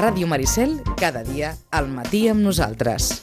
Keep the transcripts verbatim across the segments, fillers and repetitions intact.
Ràdio Maricel, cada dia al matí amb nosaltres.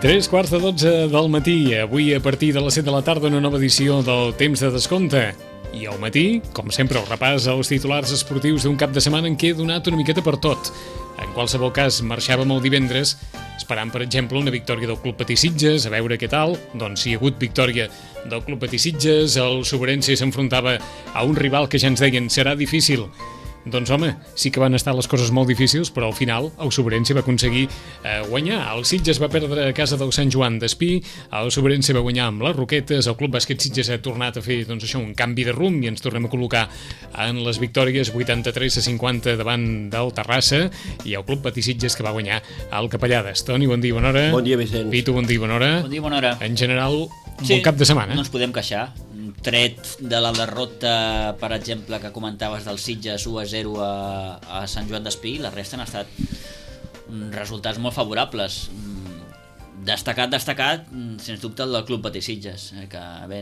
Tres quarts de dotze del matí, avui a partir de les set de la tarda una nova edició del Temps de Descompte. I al matí, com sempre, el repàs als titulars esportius d'un cap de setmana en què he donat una miqueta per tot. En qualsevol cas, marxàvem el divendres esperant, per exemple, una victòria del Club Patí Sitges, a veure què tal. Doncs si hi ha hagut victòria del Club Patí Sitges, el Sobrense s'enfrontava a un rival que ja ens deien serà difícil. Doncs home, sí que van estar les coses molt difícils, però al final el Sobrense va aconseguir eh, guanyar. El Sitges va perdre a casa del Sant Joan d'Espí, el Sobrense va guanyar amb les Roquetes, el Club Bàsquet Sitges ha tornat a fer doncs, això, un canvi de rumb i ens tornem a col·locar en les victòries vuitanta-tres a cinquanta davant del Terrassa i el Club Patí Sitges que va guanyar al Capellades. Toni, bon dia, bona hora. Bon dia, Vicenç. Pitu, bon dia, bona hora. Bon dia, bona hora. En general, un sí, bon cap de setmana. No ens podem queixar. Tret de la derrota, per exemple, que comentaves del Sitges u a zero a, a Sant Joan d'Espí, la resta han estat resultats molt favorables. Destacat, destacat, sens dubte, el del Club Patí Sitges, que bé,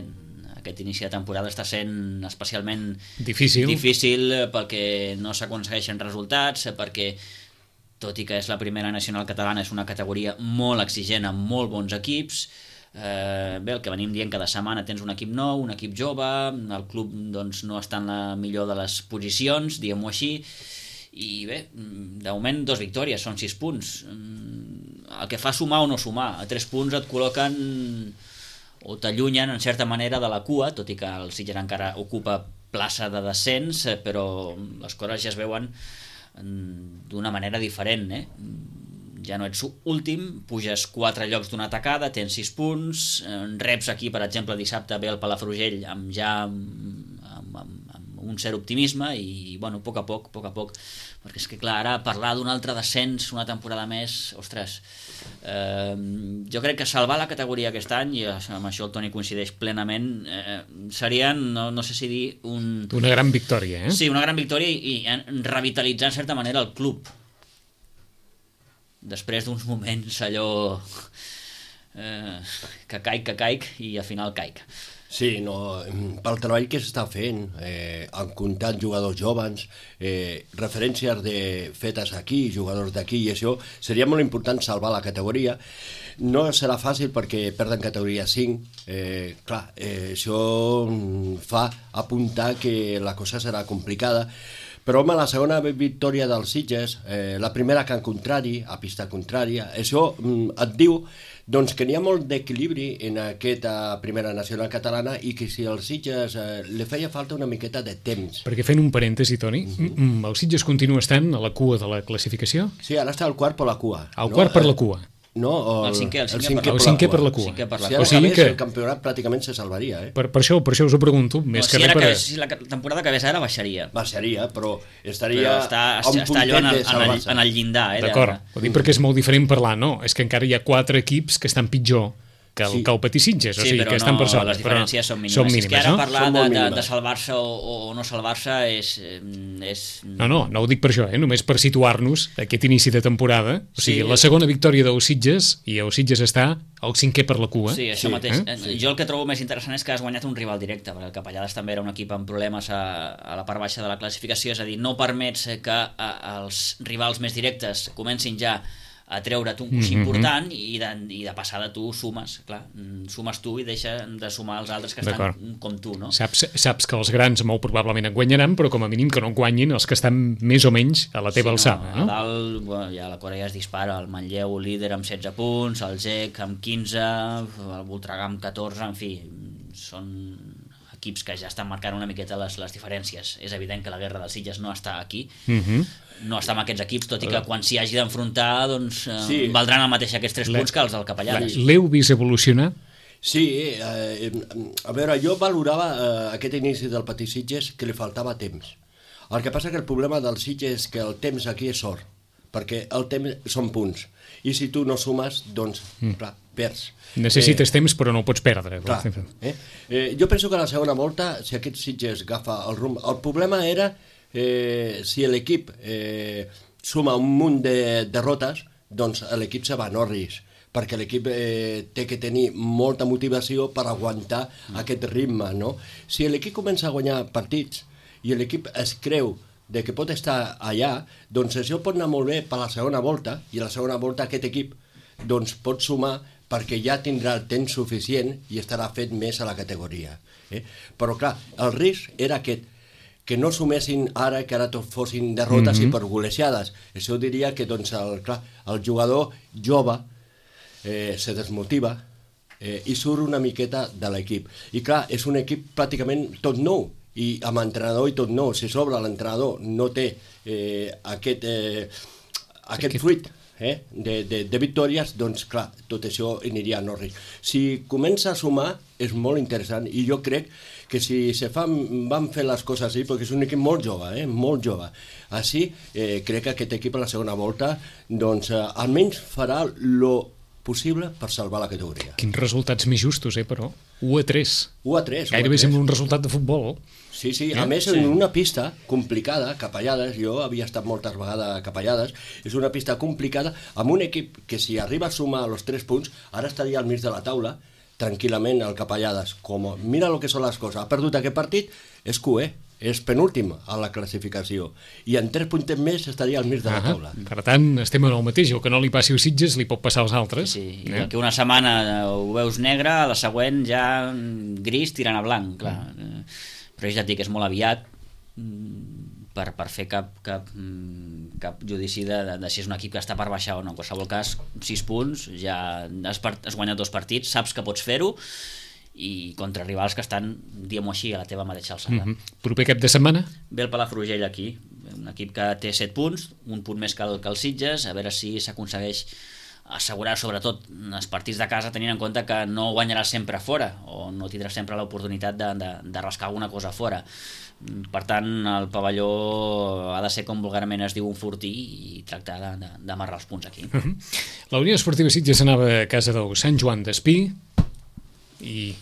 aquest inici de temporada està sent especialment difícil, difícil perquè no s'aconsegueixen resultats, perquè tot i que és la primera nacional catalana, és una categoria molt exigent amb molt bons equips. Eh, bé, el que venim dient cada setmana, tens un equip nou, un equip jove, el club doncs, no està en la millor de les posicions, diguem-ho així, i bé, de moment dos victòries, són sis punts. El que fa sumar o no sumar, a tres punts et col·loquen o t'allunyen en certa manera de la cua, tot i que el Sitges encara ocupa plaça de descens, però les coses ja es veuen d'una manera diferent, eh? Ja no ets últim, puges quatre llocs d'una tacada, tens sis punts, reps aquí, per exemple, dissabte ve el Palafrugell amb ja amb, amb, amb un cert optimisme i, bueno, a poc a poc, a poc a poc, perquè és que, clar, ara parlar d'un altre descens una temporada més, ostres, eh, jo crec que salvar la categoria aquest any, i amb això el Toni coincideix plenament, eh, serien, no, no sé si dir, un... Una gran victòria, eh? Sí, una gran victòria i, i revitalitzar, en certa manera, el club. Després d'uns moments allò eh, que caic, que caic i al final caic. Sí, no, pel treball que s'està fent, eh, han comptat jugadors joves, eh, referències de, fetes aquí, jugadors d'aquí, i això seria molt important salvar la categoria. No serà fàcil perquè perden categoria cinc, eh, clar, eh, això fa apuntar que la cosa serà complicada. Però, home, la segona victòria dels Sitges, eh, la primera camp contrari, a pista contrària, això mm, et diu doncs, que n'hi ha molt d'equilibri en aquesta primera nacional catalana i que si als Sitges eh, li feia falta una miqueta de temps. Perquè fent un parèntesi, Toni, uh-huh. mm, el Sitges continua estant a la cua de la classificació? Sí, ara està al quart per la cua. Al no? quart per la cua. No, el, el cinquè, el cinquè, el cinquè, per, el cinquè per la cua. Cinquè per la si cua. ara o sigui acabés, que... el campionat pràcticament se salvaria. Eh? Per, per, això, per això us ho pregunto. Més no, que si, res per... que, si la temporada que ve ara baixaria. Baixaria, però estaria però està, a un està allò en el, puntet de en, el, en el llindar. Eh, D'acord, ho dic perquè és molt diferent parlar, no? És que encara hi ha quatre equips que estan pitjor que el, sí. que el Patí Sitges, o sí, sigui, que estan no, per sota. Les diferències són mínimes. Són mínimes, és que ara no? parlar Són de, molt de, mínimes. de salvar-se o, o no salvar-se és, és... No, no, no ho dic per això, eh? Només per situar-nos aquest inici de temporada. O sigui, Sí. la segona victòria del Sitges, i el Sitges està al cinquè per la cua. Sí, això Sí, mateix. eh? Sí. Jo el que trobo més interessant és que has guanyat un rival directe, perquè el Capellades també era un equip amb problemes a, a la part baixa de la classificació, és a dir, no permets que a, els rivals més directes comencin ja a treure't un coixí mm-hmm. important i de, i de passada tu sumes, clar, sumes tu i deixa de sumar els altres que estan com tu, no? Saps, saps que els grans molt probablement et guanyaran, però com a mínim que no guanyin els que estan més o menys a la teva sí, alçada, no? A dalt, bueno, ja la Corea ja es dispara, el Manlleu líder amb setze punts, el G E C amb quinze, el Voltregà amb catorze, en fi, són equips que ja estan marcant una miqueta les, les diferències. És evident que la guerra dels Sitges no està aquí, mm-hmm. no està amb aquests equips, tot i que quan s'hi hagi d'enfrontar doncs, Sí. eh, valdran el mateix aquests tres punts que els del Capellades. L'heu vist evolucionar? Sí, eh, a veure, jo valorava eh, aquest inici del Patí Sitges que li faltava temps. El que passa que el problema del Sitges és que el temps aquí és or, perquè el temps són punts, i si tu no sumes, doncs, mm. clar, perds. Necessites eh, temps, però no ho pots perdre. Clar, eh? Eh, jo penso que a la segona volta, si aquest Sitges agafa el rumb... El problema era eh, si l'equip eh, suma un munt de derrotes, doncs l'equip se va a Norris, perquè l'equip eh, té que tenir molta motivació per aguantar mm. aquest ritme, no? Si l'equip comença a guanyar partits i l'equip es creu de que pot estar allà, doncs això pot anar molt bé per la segona volta, i a la segona volta aquest equip doncs, pot sumar perquè ja tindrà el temps suficient i estarà fet més a la categoria. Eh? Però clar, el risc era aquest, que no sumessin ara, que ara tot fossin derrotes mm-hmm. i per golejades. Això diria que doncs, el, clar, el jugador jove eh, se desmotiva eh, i surt una miqueta de l'equip. I clar, és un equip pràcticament tot nou, i amb entrenador i tot nou. Si sobre l'entrenador no té eh, aquest, eh, aquest fruit Eh, de, de, de victòries, doncs clar, tot això aniria a Norris. Si comença a sumar, és molt interessant, i jo crec que si se fan, van fer les coses així, perquè és un equip molt jove, eh, molt jove. Així, eh, crec que aquest equip a la segona volta, doncs, eh, almenys farà lo possible per salvar la categoria. Quins resultats més justos, eh, però? u a tres. u a tres. Gairebé sembla un resultat de futbol. Sí, sí, a més, en una pista complicada, Capellades, jo havia estat moltes vegades a Capellades, és una pista complicada, amb un equip que si arriba a sumar els tres punts, ara estaria al mig de la taula, tranquil·lament, al Capellades. Com, mira el que són les coses, ha perdut aquest partit, és Q E, és penúltim a la classificació, i en tres punts més estaria al mig de la taula. Ah, per tant, estem en el mateix, el que no li passi als Sitges li pot passar als altres. Sí, i eh? que una setmana ho veus negre, a la següent ja gris tirant a blanc, clar. Mm. Però ja et dic, és molt aviat per, per fer cap, cap, cap judici de, de, de si és un equip que està per baixar o no. En qualsevol cas, sis punts, ja has, part, has guanyat dos partits, saps que pots fer-ho, i contra rivals que estan, diguem-ho així, a la teva mateixa alçada. Mm-hmm. Proper cap de setmana? Ve el Palafrugell aquí, un equip que té set punts, un punt més que el, que el Sitges, a veure si s'aconsegueix assegurar sobretot els partits de casa, tenint en compte que no guanyaràs sempre fora o no tindràs sempre l'oportunitat de, de, de rascar alguna cosa fora. Per tant, el pavelló ha de ser, com vulgarment es diu, un fortí, i tractar d'amarrar els punts aquí. Uh-huh. La Unió Esportiva Sitges anava a casa del Sant Joan d'Espí i...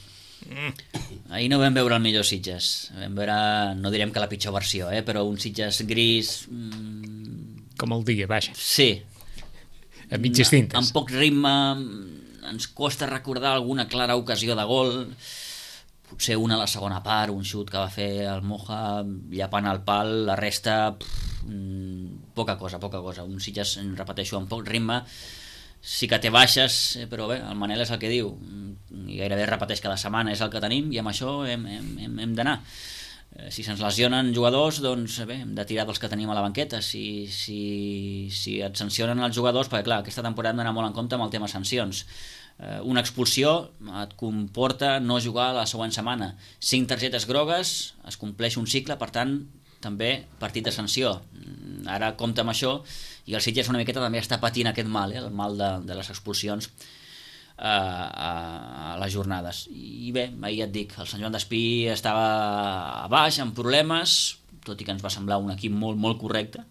Ahir no vam veure el millor Sitges, vam veure, no direm que la pitjor versió, eh, però un Sitges gris... Mmm... Com el dia, vaja. Sí. A mitges tintes. Amb poc ritme, ens costa recordar alguna clara ocasió de gol, potser una a la segona part, un xut que va fer el Moja llapant el pal, la resta pff, poca cosa, poca cosa. Un Sitges, repeteixo, amb poc ritme, sí que té baixes, però bé, el Manel és el que diu, i gairebé repeteix cada setmana, és el que tenim, i amb això hem, hem, hem, hem d'anar. Si se'ns lesionen jugadors, doncs bé, hem de tirar dels que tenim a la banqueta. Si, si, si et sancionen els jugadors, perquè clar, aquesta temporada hem d'anar molt en compte amb el tema sancions. Eh, una expulsió et comporta no jugar la següent setmana. Cinc targetes grogues, es compleix un cicle, per tant, també partit de sanció. Ara compta amb això, i el Sitges una miqueta també està patint aquest mal, eh, el mal de, de les expulsions a, a, a les jornades. I bé, ahir et dic, el Sant Joan d'Espí estava a baix, amb problemes, tot i que ens va semblar un equip molt, molt correcte,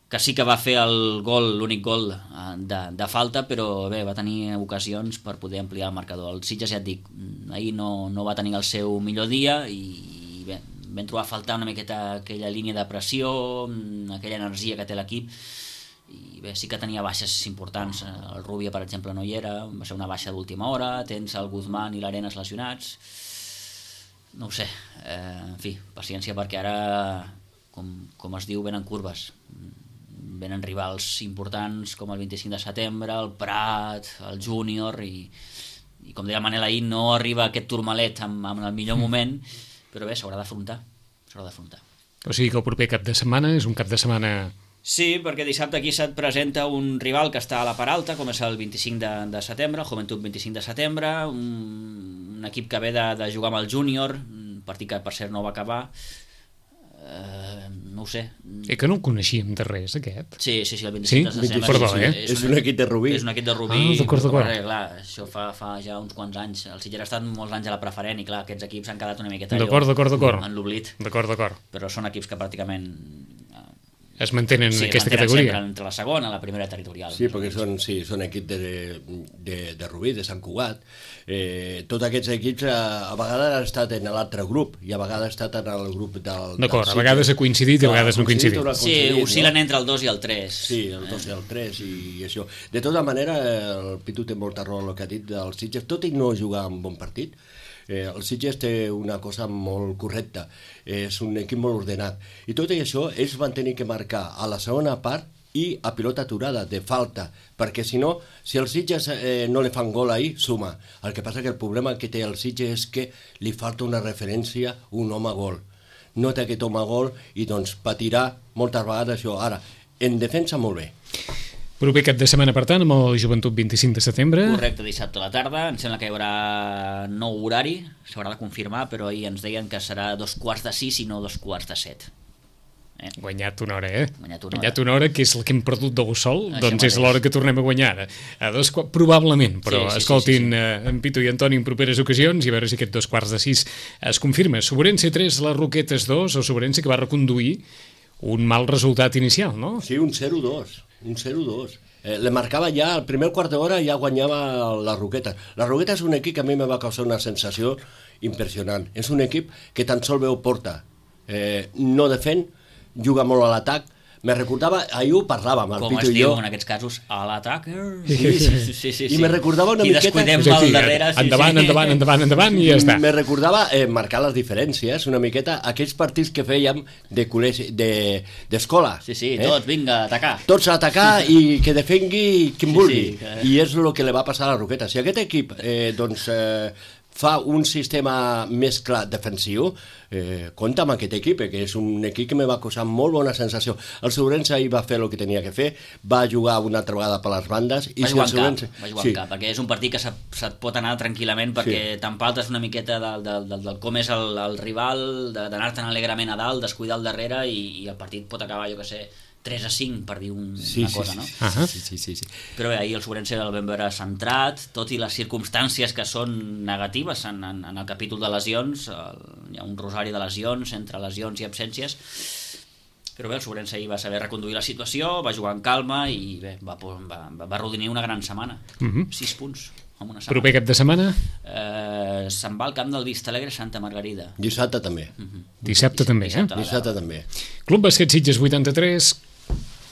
que sí que va fer el gol, l'únic gol de, de falta, però bé, va tenir ocasions per poder ampliar el marcador. El Sitges, ja et dic, ahir no, no va tenir el seu millor dia, i bé, vam trobar a faltar una miqueta aquella línia de pressió, aquella energia que té l'equip, i bé, sí que tenia baixes importants. El Rubia, per exemple, no hi era, va ser una baixa d'última hora, tens el Guzmán i l'Arenas lesionats, no ho sé, eh, en fi, paciència, perquè ara, com, com es diu, venen curves, venen rivals importants com el vint-i-cinc de setembre, el Prat, el Júnior, i, i com deia Manel ahir, no arriba aquest turmalet en, en el millor moment, però bé, s'haurà d'afrontar, s'haurà d'afrontar. O sigui que el proper cap de setmana és un cap de setmana... Sí, perquè dissabte aquí se't presenta un rival que està a la part alta, com és el vint-i-cinc de, de setembre, el Joventut vint-i-cinc de setembre, un, un equip que ve de, de jugar amb el Júnior, un partit que per cert no va acabar, eh, no ho sé. Eh, que no el coneixíem de res, aquest? Sí, sí, sí, el vint-i-cinc sí? de setembre. Perdó, sí, eh? És, és un equip de Rubí. És un equip de Rubí. Ah, d'acord, d'acord. Clar, això fa, fa ja uns quants anys. El Sitges ha estat molts anys a la preferent, i clar, aquests equips han quedat una miqueta d'acord, d'acord, d'acord. en l'oblit. D'acord, d'acord. Però són equips que pràcticament... es mantenen sí, en aquesta mantenen categoria. sempre entre la segona i la primera territorial. Sí, perquè són, sí, són equips de, de, de Rubí, de Sant Cugat. Eh, tots aquests equips a, a vegades han estat en l'altre grup i a vegades han estat en el grup del... D'acord, a vegades ha coincidit i a vegades no ha coincidit. Sí, oscil·len no? entre el dos i el tres. Sí, el dos i el tres i, i això. De tota manera, el Pitu té molta raó el que ha dit dels Sitges, tot i no jugar un bon partit. Eh, el Sitges té una cosa molt correcta, és un equip molt ordenat. I tot i això, ells van tenir que marcar a la segona part i a pilota aturada, de falta, perquè si no, si els Sitges eh, no li fan gol ahir, suma. El que passa que el problema que té el Sitges és que li falta una referència, un home gol. No té aquest home gol i doncs patirà moltes vegades això. Ara, en defensa molt bé. Proper cap de setmana, per tant, amb el Joventut vint-i-cinc de setembre. Correcte, dissabte a la tarda. Em sembla que hi haurà nou horari, s'haurà de confirmar, però ahir ens deien que serà dos quarts de sis i no dos quarts de set. Eh? Guanyat una hora, eh? Guanyat una hora. Guanyat una hora, que és el que hem perdut del sol, Això doncs mateix. és l'hora que tornem a guanyar. A dos, probablement, però Sí, sí, escoltin sí, sí, sí, sí. en Pitu i Antoni en properes ocasions i a veure si aquest dos quarts de sis es confirma. Sobrense tres, les Roquetes dos, o Sobrense que va reconduir un mal resultat inicial, no? Sí, un zero dos, un zero dos. Eh, le marcava ja, al primer quart d'hora ja guanyava la Roqueta. La Roqueta és un equip que a mi me va causar una sensació impressionant. És un equip que tan sol veu porta. Eh, no defèn, juga molt a l'atac. Me recordava, ahir ho parlàvem, el Com Pitu es i diu jo. en aquests casos, a l'atac. Sí, sí, sí, sí, sí. I me recordava una I miqueta... descuidem És a mal dir, darrere. Sí, endavant, sí. endavant, endavant, endavant i ja està. Me recordava eh, marcar les diferències, una miqueta, aquells partits que fèiem de col·legi, de, d'escola. Sí, sí, tots, vinga, a atacar. Tots a atacar i que defengui qui Sí, vulgui. sí, que- I és el que li va passar a la Roqueta. Si aquest equip eh, doncs, eh, fa un sistema més clar defensiu, eh, compta amb aquest equip, eh, que és un equip que me va causar molt bona sensació. El Sobrense ahir va fer el que tenia que fer, va jugar una altra vegada per les bandes. I Va si jugar el en Sobrense... cap, va jugar sí. en cap, perquè és un partit que se't, se't pot anar tranquil·lament, perquè Sí. t'empaltes una miqueta del, del, del, del com és el, el rival, de- d'anar-te'n alegrament a dalt, descuidar el darrere, i, i el partit pot acabar, jo que sé, tres a cinc, per dir un, Sí, una sí, cosa, sí, no? sí, Ahà. sí, sí, sí, sí. Però bé, ahir el Sobrense el vam veure centrat, tot i les circumstàncies que són negatives en, en, en el capítol de lesions, el, hi ha un rosari de lesions, entre lesions i absències, però bé, el Sobrense ahir va saber reconduir la situació, va jugar en calma i bé, va, va, va, va rodinir una gran setmana. Mhm. Sis punts en una Proper setmana. cap de setmana, Eh, se'n va al camp del Vistalegre Santa Margarida. Dissabte també. dissabte també, eh? Dissabte. Dissabte també. Club Basquet Sitges vuitanta-tres,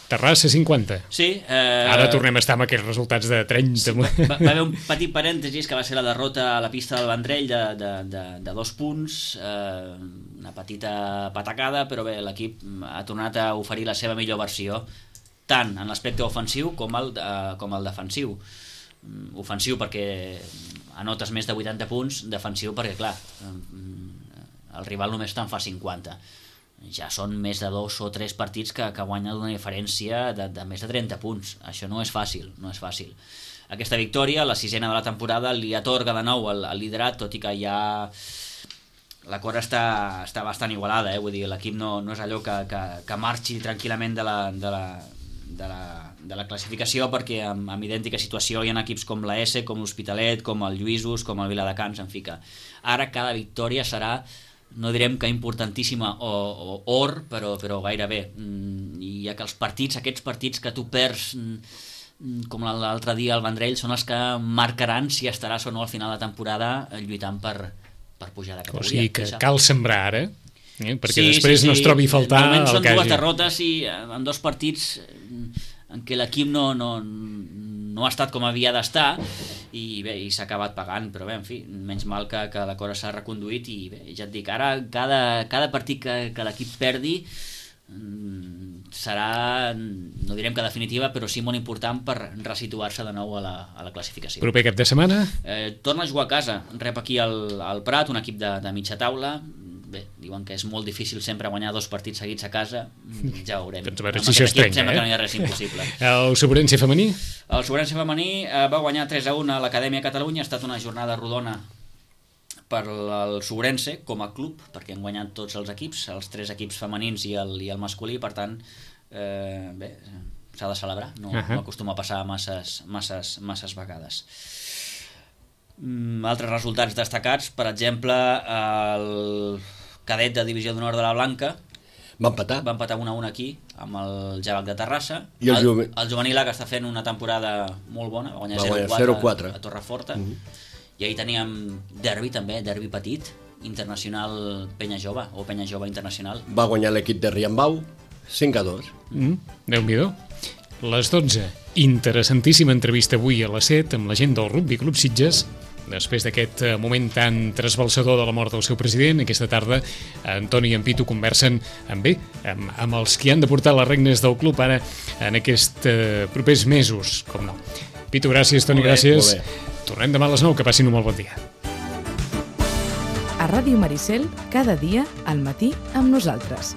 Terrassa cinquanta. Sí. Eh, Ara tornem a estar amb aquests resultats de trenta. Va, va haver un petit parèntesis que va ser la derrota a la pista del Vendrell de, de, de, de dos punts, eh, una petita patacada, però bé, l'equip ha tornat a oferir la seva millor versió, tant en l'aspecte ofensiu com el, eh, com el defensiu. Mm, Ofensiu perquè anotes més de vuitanta punts, defensiu perquè, clar, eh, el rival només te'n fa cinquanta. Ja són més de dos o tres partits que, que guanyen una diferència de, de més de trenta punts. Això no és fàcil, no és fàcil. Aquesta victòria, la sisena de la temporada, li atorga de nou el, el liderat, tot i que ja la cosa està, està bastant igualada, eh? Vull dir, l'equip no, no és allò que, que, que marxi tranquil·lament de la, de la, de la, de la classificació, perquè en, en idèntica situació hi ha equips com la S, com l'Hospitalet, com el Lluïsos, com el Viladecans, en fi que ara cada victòria serà, no direm que importantíssima o, o or, però, però gairebé. Mm, I ja que els partits, aquests partits que tu perds, mm, com l'altre dia al Vendrell, són els que marcaran si estaràs o no al final de temporada lluitant per, per pujar de O categoria. sigui que Això. cal sembrar ara, eh? perquè Sí, després sí, no sí. es trobi a faltar De moment el són que dues hagi. derrotes i eh, en dos partits eh, en què l'equip no, no, no ha estat com havia d'estar i bé, i s'ha acabat pagant, però bé, en fi, menys mal que, que la cosa s'ha reconduït i bé, ja et dic, ara cada, cada partit que, que l'equip perdi mm, serà, no direm que definitiva, però sí molt important per resituar-se de nou a la, a la classificació. Proper cap de setmana, Eh, torna a jugar a casa, rep aquí al, al Prat, un equip de, de mitja taula. Bé, diuen que és molt difícil sempre guanyar dos partits seguits a casa, ja ho veurem. Doncs a veure Amb si això aquest es equip trenca, sembla eh? que no hi ha res impossible. el Sobrense femení, El Sobrense femení eh, va guanyar tres a un a l'Acadèmia Catalunya, ha estat una jornada rodona per al Sobrense com a club, perquè han guanyat tots els equips, els tres equips femenins i el, i el masculí, per tant, eh, bé, s'ha de celebrar, no, Ahà. no acostuma a passar masses, masses, masses vegades. Mm, altres resultats destacats, per exemple, el cadet de Divisió d'Honor de la Blanca. Va empatar. Va empatar un a un aquí, amb el Javac de Terrassa. I el el, juve... el juvenil A, que està fent una temporada molt bona, va guanyar, va guanyar zero zero quatre quatre a Torreforta. Mm -hmm. I ahir teníem derbi també, derbi petit, internacional Penya Jove, o Penya Jove Internacional. Va guanyar l'equip de Riambau, cinc a dos. Mm, Déu-n'hi-do. Les dotze. Interessantíssima entrevista avui a les set amb la gent del Rugby Club Sitges. Després d'aquest moment tan trasbalsador de la mort del seu president, aquesta tarda Antoni i en Pitu conversen amb bé, amb, amb els qui han de portar les regnes del club ara en aquests eh, propers mesos, com no. Pitu, gràcies, Toni, Molt bé, gràcies. molt bé. Tornem demà a les nou, que passin un molt bon dia. A Ràdio Maricel, cada dia al matí amb nosaltres.